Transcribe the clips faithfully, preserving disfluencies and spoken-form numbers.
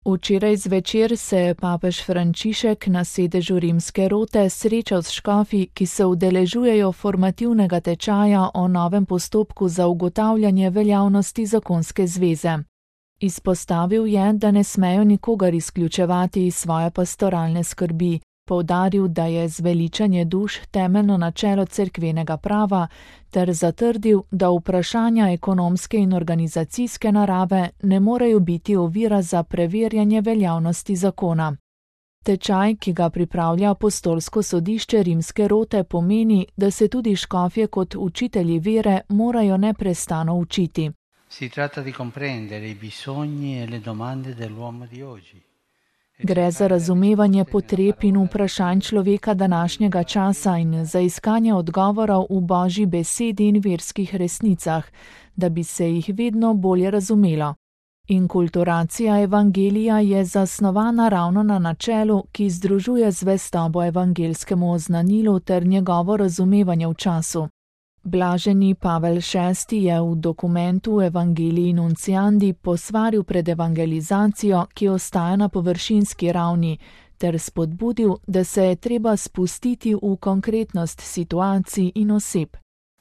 Včeraj zvečer se je papež Frančišek na sedežu rimske rote srečal s škofi, ki se udeležujejo formativnega tečaja o novem postopku za ugotavljanje veljavnosti zakonske zveze. Izpostavil je, da ne smejo nikogar izključevati iz svoje pastoralne skrbi, poudaril, da je zveličanje duš temeljno načelo cerkvenega prava, ter zatrdil, da vprašanja ekonomske in organizacijske narave ne morejo biti ovira za preverjanje veljavnosti zakona. Tečaj, ki ga pripravlja apostolsko sodišče rimske rote, pomeni, da se tudi škofje kot učitelji vere morajo neprestano učiti. Si tratta di comprendere i bisogni e le domande dell'uomo di oggi. Gre za razumevanje potreb in vprašanj človeka današnjega časa in za iskanje odgovorov v Božji besedi in verskih resnicah, da bi se jih vedno bolje razumelo. Inkulturacija evangelija je zasnovana ravno na načelu, ki združuje zvestobo evangelskemu oznanilu ter njegovo razumevanje v času. Blaženi Pavel šesti je v dokumentu Evangelii Nunciandi posvaril pred evangelizacijo, ki ostaja na površinski ravni, ter spodbudil, da se je treba spustiti v konkretnost situacij in oseb.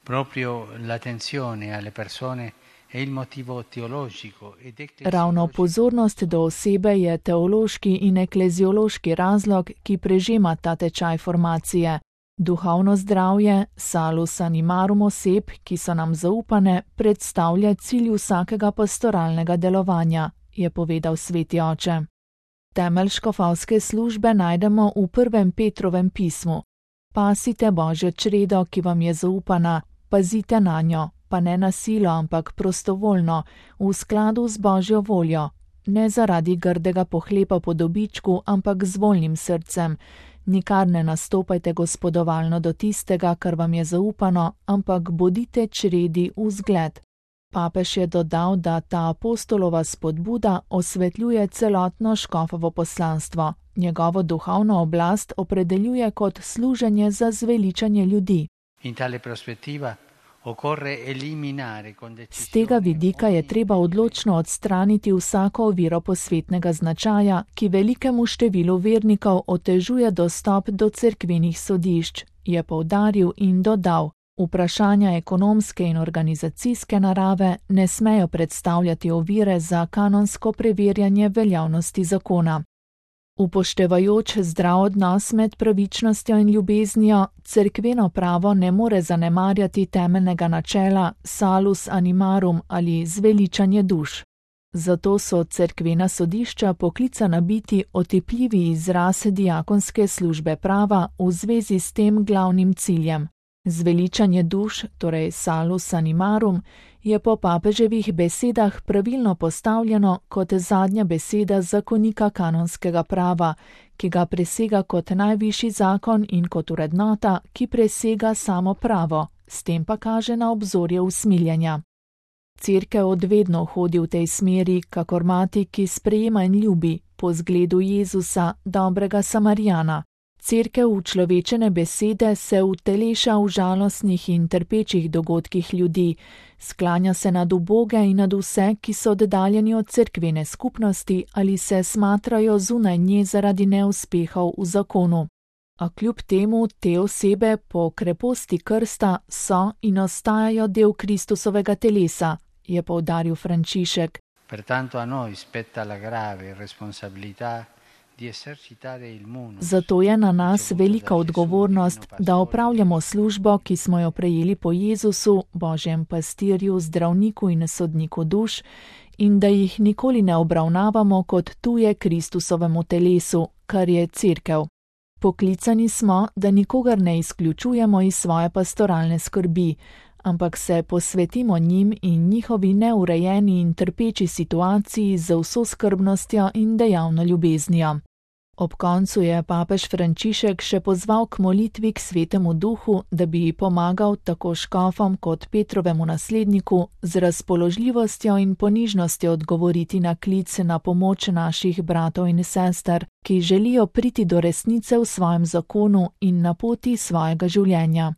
Proprio l'attenzione alle persone è il motivo teologico ed ecclesiologico. Ravno pozornost do osebe je teološki in ekleziološki razlog, ki prežema ta tečaj formacije. Duhovno zdravje, salus animarum oseb, ki so nam zaupane, predstavlja cilj vsakega pastoralnega delovanja, je povedal sveti oče. Temelj škofovske službe najdemo v prvem Petrovem pismu. Pasite Božjo čredo, ki vam je zaupana, pazite nanjo, pa ne na silo, ampak prostovoljno, v skladu z Božjo voljo, ne zaradi grdega pohlepa po dobičku, ampak z voljnim srcem. Nikar ne nastopajte gospodovalno do tistega, kar vam je zaupano, ampak bodite čredi v zgled. Papež je dodal, da ta apostolova spodbuda osvetljuje celotno škofovo poslanstvo. Njegovo duhovno oblast opredeljuje kot služenje za zveličanje ljudi. In tale perspektiva Z tega vidika je treba odločno odstraniti vsako oviro posvetnega značaja, ki velikemu številu vernikov otežuje dostop do cerkvenih sodišč, je poudaril in dodal. Vprašanja ekonomske in organizacijske narave ne smejo predstavljati ovire za kanonsko preverjanje veljavnosti zakona. Upoštevajoč zdrav odnos med pravičnostjo in ljubeznijo, cerkveno pravo ne more zanemarjati temeljnega načela salus animarum ali zveličanje duš. Zato so cerkvena sodišča poklicana biti otipljivi izraz diakonske službe prava v zvezi s tem glavnim ciljem. Zveličanje duš, torej salus animarum, je po papeževih besedah pravilno postavljeno kot zadnja beseda zakonika kanonskega prava, ki ga presega kot najvišji zakon in kot vrednota, ki presega samo pravo, s tem pa kaže na obzorje usmiljenja. Cerkev odvedno hodi v tej smeri, kakor mati, ki sprejema in ljubi, po zgledu Jezusa, dobrega Samarijana. Cerkev učlovečene besede se uteleša v žalostnih in trpečih dogodkih ljudi, sklanja se nad uboge in nad vse, ki so oddaljeni od cerkvene skupnosti ali se smatrajo zunaj nje zaradi neuspehov v zakonu. A kljub temu te osebe po kreposti krsta so in ostajajo del Kristusovega telesa, je poudaril Frančišek. Pertanto a noi spetta la grave responsabilità. Zato je na nas velika odgovornost, da opravljamo službo, ki smo jo prejeli po Jezusu, Božjem pastirju, zdravniku in sodniku duš, in da jih nikoli ne obravnavamo kot tuje Kristusovemu telesu, kar je cerkev. Poklicani smo, da nikogar ne izključujemo iz svoje pastoralne skrbi, ampak se posvetimo njim in njihovi neurejeni in trpeči situaciji z vso skrbnostjo in dejavno ljubeznijo. Ob koncu je papež Frančišek še pozval k molitvi k Svetemu Duhu, da bi pomagal tako škofom kot Petrovemu nasledniku z razpoložljivostjo in ponižnostjo odgovoriti na klic na pomoč naših bratov in sester, ki želijo priti do resnice v svojem zakonu in na poti svojega življenja.